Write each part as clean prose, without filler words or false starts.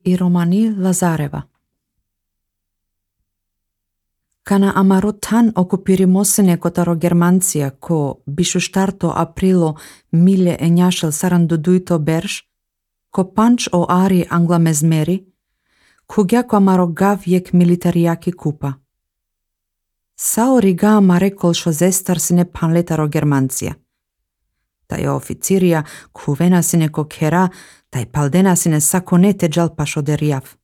и Романи Лазарева. Кана амаро тан окупиримосене котаро Германција, ко бишуштарто априло миле ењашел сарандудуито берш, ко панч о ари англамезмери, куѓако амаро гав јек милитаријаки купа. Сао рига амаре колшо зестарсине панлетаро Германција. Тај официрија кувенасине ко кера, тај палденасине саконете джалпашо деријав.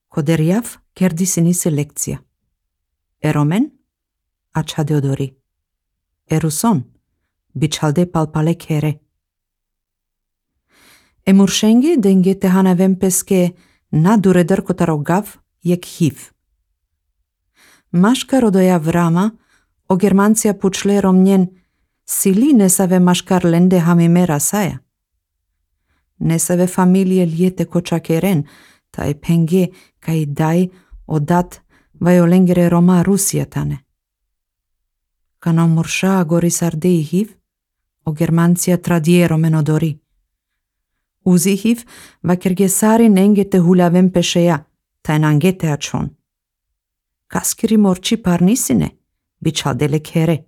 Ко деријав кердисини се лекција. Еромен, ачаде одори. Ерусон, бичалде палпале кере. Емуршенги денге техана вемпеске надуредър котаро гав јек хив. Машкар одоја врама, о Германција пучле ромњен, сили не саве машкар ленде хамимера саја. Не саве фамилие лиете кочакерен, тај пенге кај дај одат вајоленгере Рома Русија тане. Кано мурша гори сарде и хив, о Германција традиеро менодори. Узи хив, вакергесари ненгете хулявен пешеја, тај нангете ачон. Каскири морчи парнисине, бичалделе кере.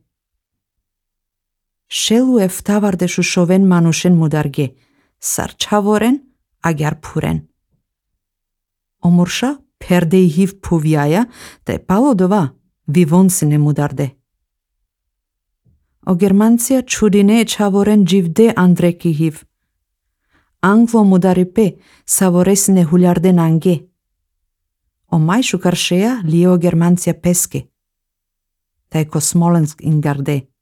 Шелу ефтаварде шушовен манушен мударге, сарчаворен, агар пурен. Омурша перде и хив пувјаја, тај палодова, вивонсине мударде. О Германција чудине чаворен дживде андреки хив. Англо мударипе саворесине хулјарде нанге. О мајшу каршеја лио Германција песке. Тај ко Смоленск ингарде.